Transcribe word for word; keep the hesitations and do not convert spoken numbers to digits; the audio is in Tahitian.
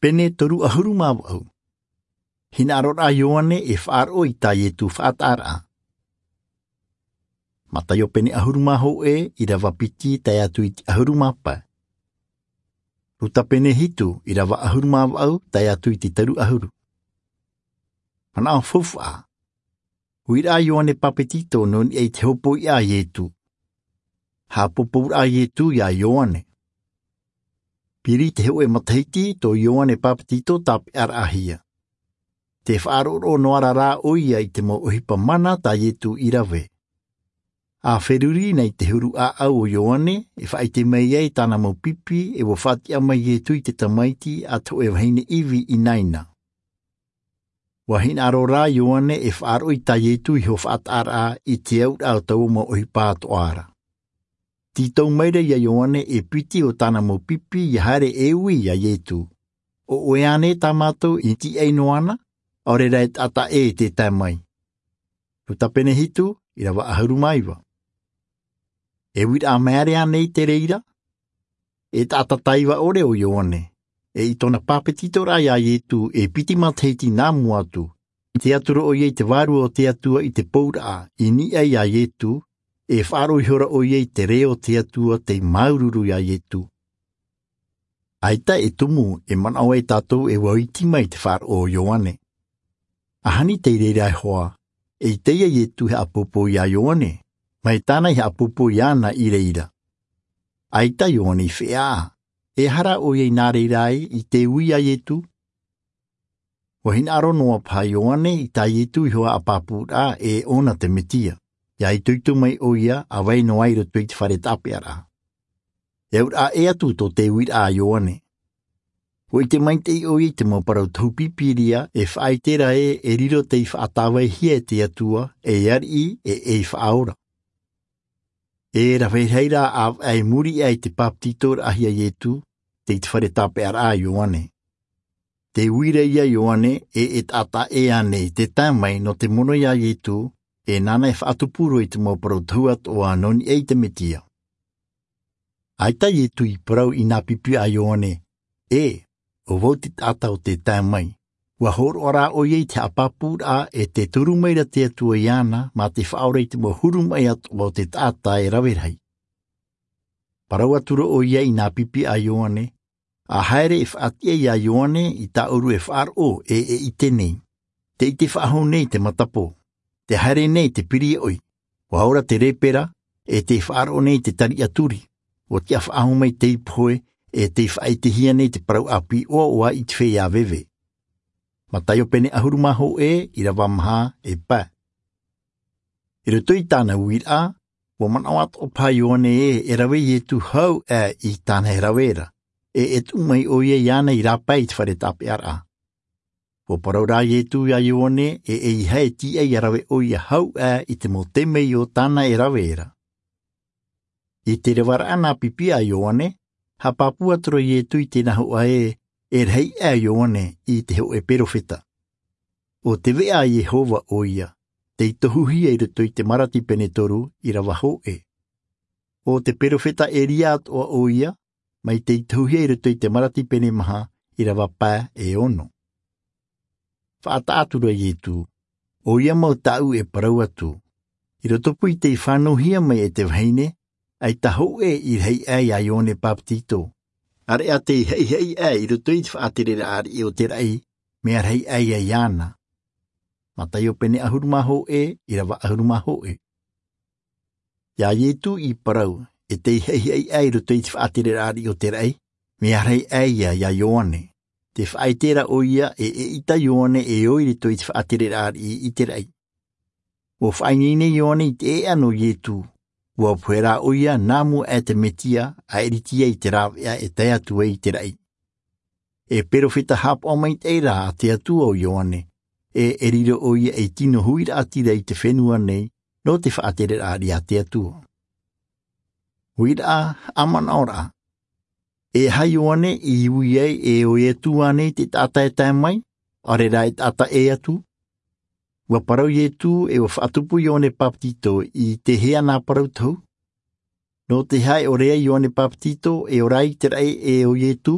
Pene toru ʻahuru mā vaʻu. Hinaʻaro rā ʻo ioane e faʻaroʻo i tā iesu faʻataʻaraʻa. Mataio pene ʻahuru mā hōʻē, ʻirava piti tae atu i te ʻahuru mā pae. Luka pene hitu, ʻirava ʻahuru mā vaʻu tae atu i te toru ʻahuru. Manaʻo faufaʻa. Ui rā ʻo ioane bapetizo nō niʻa i te hopoiʻa a iesu. Haʻapōpou rā iesu iā ioane. Piri te hōʻē matahiti tō ioane bapetizo tāpeʻaraʻahia. Te faʻaroʻo noa rā ʻo ia i te mau ʻohipa mana tā iesu i rave. A feruri nei te huru ʻāʻau o ioane, e faʻaʻite mai ai tāna mau pipi e ua faʻatiʻa mai iesu i te tamaiti a te hōʻē vahine ivi ʻinaʻina. Ua hinaʻaro rā ʻo ioane e faʻaroʻo i tā iesu iho faʻataʻaraʻa i te auraʻa o taua mau ʻohipa atoʻa ra. Tītau mai rā iā ioane e piti o tāna mau pipi ia haere e ui iā iesu. O ʻoe ānei tā mātou i tīaʻi noa na, ʻaore rā e taʻata ʻē e te tae mai. Luka pene hitu, ʻirava ʻahuru mā iva. E ui rā mea ʻāreʻa nei te reira? E taʻata taiva ʻore ʻo ioane. E i tōna bapetizoraʻa iā iesu e piti matahiti nā mua atu, te atu roa ʻo ia i te vārua o te atua i te pouraʻa i niʻa iā iesu. E faʻaroʻo ihora ʻo ia i te reo o te atua tei māuruuru iā iesu. ʻAita e tumu e manaʻo ai tātou e ua iti mai te faʻaroʻo o ioane. Ahani tei reira e hoa, e ite ia iesu e haʻapōpou iā ioane, mai tāna i haʻapōpou iāna i reira. ʻAita ioane i feʻaʻa. E aha rā ʻo ia i nā reira ai i te ui iā iesu? Ua hinaʻaro noa paha ioane i tā iesu iho haʻapāpūraʻa e ʻōna te mesia. Ia itoito mai ʻo ia a vai noa i roto i te fare tāpeʻaraʻa. E auraʻa ʻē atu tō te uiraʻa a ioane. Ua ʻite maitaʻi ʻo ia i te mau parau tohu bibilia e faʻaʻite ra ē e riro tei faʻatāvaihia e te atua ei ariʻi e ei faʻaora. E rave rahi rā ʻāvaʻe i muri aʻe i te bapetizoraʻahia a iesu, tei te fare tāpeʻaraʻa a ioane. Te uira ia a ioane e e taʻata ʻē ānei te tae mai nō te mono iā iesu, e nāna e faʻatupu roa i te mau parau tohu atoʻa nō niʻa i te mesia. ʻAita iesu i parau i nā pipi a ioane, ʻē, ʻo vau te taʻata o te tae mai. Ua hōroʻa rā ʻo ia i te haʻapāpūraʻa e te turu mai ra te atua iāna mā te faʻaora i te mau huru maʻi atoʻa o te taʻata e rave rahi. Parau atu roa ʻo ia i nā pipi a ioane, a haere e faʻatiʻa iā ioane i tāʻoru e faʻaroʻo e e ʻite nei, te ʻite faʻahou nei i te matapō, te haere nei i te piriaʻoi, ua ora te lepera, e tei faʻaroʻo nei i te tariʻa turi, ua tiʻa faʻahou mai te ipu hoe, e tei faʻaʻitehia nei te parau ʻāpī ʻoaʻoa i te feiā veve. Mataio pene ʻahuru mā hōʻē, ʻirava maha e pae. I roto i tāna uiraʻa, ua manaʻo atoʻa paha ioane ē e rave iesu hau aʻe i tāna e rave ra, e e tuʻu mai ʻo ia iāna i rāpae i te fare tāpeʻaraʻa. Ua parau rā iesu iā ioane e eiaha e tīaʻi ia rave ʻo ia hau aʻe i te mau temeio tāna e rave ra. I te revaraʻa nā pipi a ioane, haʻapāpū atu ra iesu i tēnā hoʻa ē e rahi aʻe ioane i te hoʻē perofeta. ʻO te veʻa a iehova ʻo ia, tei tohuhia i roto i te maraki pene toru, ʻirava hōʻē. ʻO te perofeta elia atoʻa ʻo ia, mai tei tohuhia i roto i te maraki pene maha, ʻirava pae e ono. Faʻataʻa atu ra iesu, ʻo ia mau tāʻu e parau atu, i roto pū i tei fānauhia mai e te vahine, ʻaita hōʻē i rahi aʻe iā ioane bapetizo. ʻAreʻa tei haʻihaʻi aʻe i roto i te faʻatereraʻa ariʻi o te raʻi, mea rahi aʻe ia iāna. Mataio pene ʻahuru mā hōʻē, ʻirava ʻahuru mā hōʻē. Iā iesu i parau e tei haʻihaʻi aʻe i roto i te faʻatereraʻa ariʻi o te raʻi, mea rahi aʻe ia iā ioane. Te faʻaʻite ra ʻo ia e e ʻita ioane e ō i roto i te faʻatereraʻa ariʻi i te raʻi. Ua faʻaineine ioane i te ʻēʻa nō iesu, ua pohe rā ʻo ia nā mua aʻe te mesia a ʻiritia i te rāveʻa e tae atu ai i te raʻi. E perofeta haʻapaʻo maitaʻi rā a te atua ʻo ioane, e e riro ʻo ia ei tino huiraʻatira i te fenua nei nō te faʻatereraʻa ariʻi a te atua. Uiraʻa, haʻamanaʻoraʻa. E aha ioane i ui ai e ʻo iesu ānei te taʻata e tae mai, ʻaore rā e taʻata ʻē atu? Ua parau iesu e ua faʻatupu ioane bapetizo i te hea nā parau tohu? Nō te aha e ʻore ai ioane bapetizo e ora ai i te raʻi e ʻo iesu?